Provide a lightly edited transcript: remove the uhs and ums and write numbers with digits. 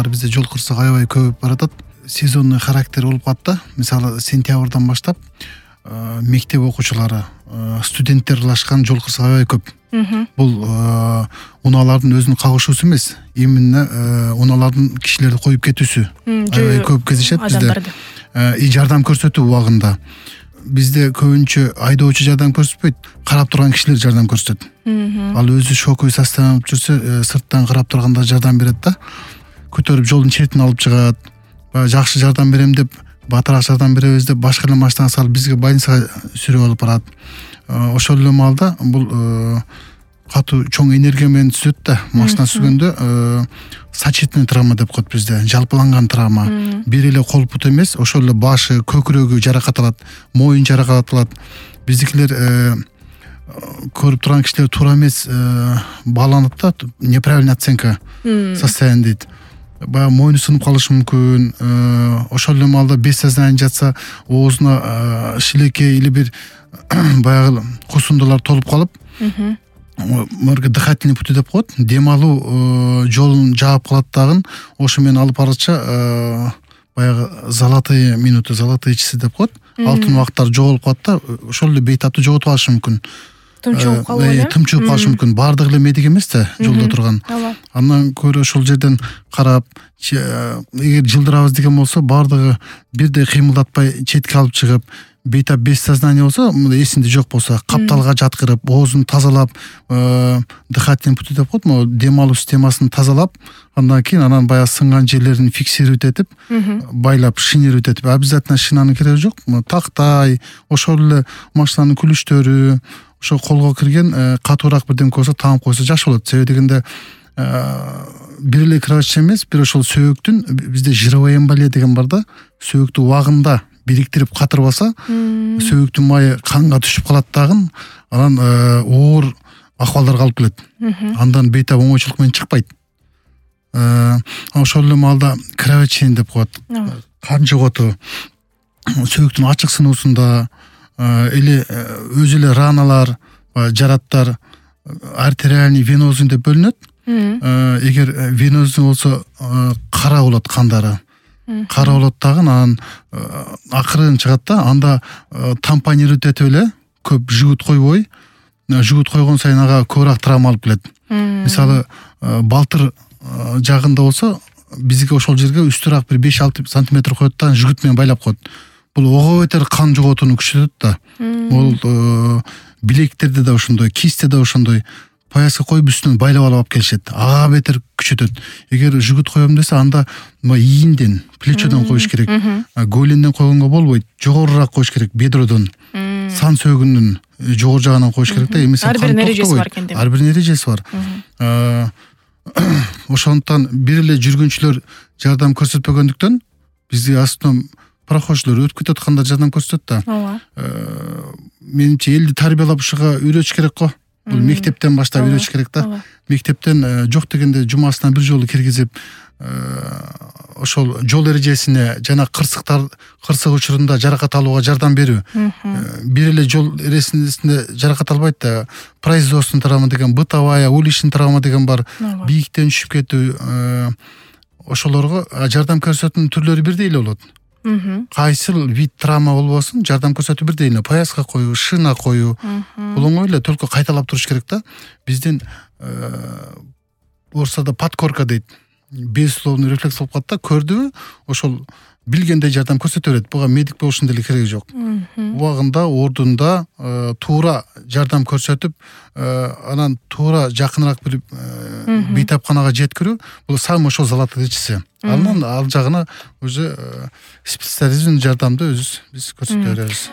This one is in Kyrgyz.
жылдары бизде жол кырсыгы аябай көбөйүп баратат. Сезонный характер болуп калат да. Мисалы сентябрдан баштап мектеп окуучулары, студенттер ылашкан жол кырсыгы аябай көп. Бул унаалардын өзүнүн кагышуусу эмес, именно унаалардын кишилерди коюп кетүүсү аябай көп кезишет бизде. И жардам көрсөтүү убагында. Бизде көбүнчө айдоочу жардам көрсөтпөйт, карап турган кишилер жардам көрсөтөт. Ал өзү шоковый состояние болуп жүрсө, сырттан карап турганда жардам берет да. Көтөрүп жолдун четине алып чыгат. Жакшы жардам берем деп, батыраак жардам беребиз деп башка эле машинага салып бизге больницага сүрүп алып барат. Ошол эле маалда бул катуу чоң энергия менен түзөт да. Машина сүзгөндө сочетный травма деп коет бизде, жалпыланган травма. Бир эле кол бут эмес, ошол эле башы, көкүрөгү жаракат алат, моюн жаракат алат. Биздикилер көрүп турган кишилер туура эмес бааланат да, неправильная оценка состояния дейт. Баягы моюну сынып калышы мүмкүн. Ошол эле маалда без сознания жатса, оозуна шилекей или бир баягы кусундулар толуп калып, морга дыхательный пути деп коет, дем алуу жолун жаап калат дагы. Ошо менен алып барача баягы золотые минуты, золотые часы деп коет. Алтын убакыттар жоголуп калат да, ошол эле бейтаптуу жоготуп алышы мүмкүн. Тымчууп калуу, тымчууп калышы мүмкүн. Баардыгы эле медик эмес да, жолдо турган. Андан көрө ошол жерден карап, эгер жылдырабыз деген болсо, баардыгы бирдей кыймылдатпай четке алып чыгып, бейтап без сознания болсо, эсинде жок болсо, капталга жаткырып, оозун тазалап, дыхательный пути деп коет, могу дем алуу системасын тазалап, андан кийин анан баягы сынган жерлерин фиксировать этип, байлап, шинировать этип, обязательно шинанын кереги жок. Тактай, ошол эле машинанын күлүштөрү, ошо колго кирген катуураак бирдемке болсо таанып койсо жакшы болот. Себеби дегенде бир эле кровотча эмес, бир ошол сөөктүн, бизде жировая эмболия деген бар да, сөөктү убагында бириктирип катырбаса, сөөктүн майы канга түшүп калат дагы, анан оор акыбалдарга алып келет. Андан бейтап оңойчулук менен чыкпайт. Ошол эле маалда кровотчение деп коет. Кан жоготуу, сөөктүн ачык сынуусунда эле өзү эле раналар, жараттар артериальный, венозный деп бөлүнөт. Эгер венозный болсо кара болот кандары. Кара болот дагы, анан акырын чыгат да, анда тампонировать этип эле көп жигут койбой, жигут койгон сайын ага көбүрөөк травма алып келет. Мисалы, балтыр жагында болсо, бизге ошол жерге үстүрөөк бир 5-6 сантиметр коет да, жигут менен байлап коет. Бул ого бетер кан жоготууну күчөтөт да. Бул билектерде да ошондой, кистте да ошондой. Пояска коюп үстүнөн байлап алып келишет. Ага бетер күчөтөт. Эгер жигут коем десе, анда ийинден, плечодон коюш керек. Голенден койгонго болбойт. Жогорураак коюш керек, бедродон. Сан сөөгүнүн жогору жагынан коюш керек да. Ар биринин эрежеси бар экен деп. Ар биринин эрежеси бар. Ошондуктан бир эле жүргүнчүлөр жардам көрсөтпөгөндүктөн бизге астынан прохождолор өтүп кетип атканда жардам көрсөтөт да. Менимче элди тарбиялап ушуга үйрөтүш керек го. Бул мектептен баштап үйрөтүш керек да. Мектептен жок дегенде жумасына бир жолу киргизип, ошол жол эрежесине жана кырсык учурунда жаракат алууга жардам берүү. Бир эле жол эрежесинде жаракат албайт да. Производственный травма деген, бытовая, уличный травма деген бар. Бийиктен түшүп кетүү, ошолорго жардам көрсөтүүнүн түрлөрү бирдей эле болот. Кайсыл вид травма болбосун, жардам көрсөтүү бирдей эле. Пояска коюу, шина коюу, бул оңой эле, только кайталап туруш керек да. Бизден орусчада подкорка дейт. Безусловный рефлекс болуп калат да, көрдүбү, ошол билгендей жардам көрсөтө берет. Буга медик болушун деле кереги жок. Убагында, ордунда туура жардам көрсөтүп, анан туура жакыныраак бир бейтапканага жеткирүү, бул сам ошол золотые часы. Андан ал жагына уже специализированный жардамды өзүбүз көрсөтө беребиз.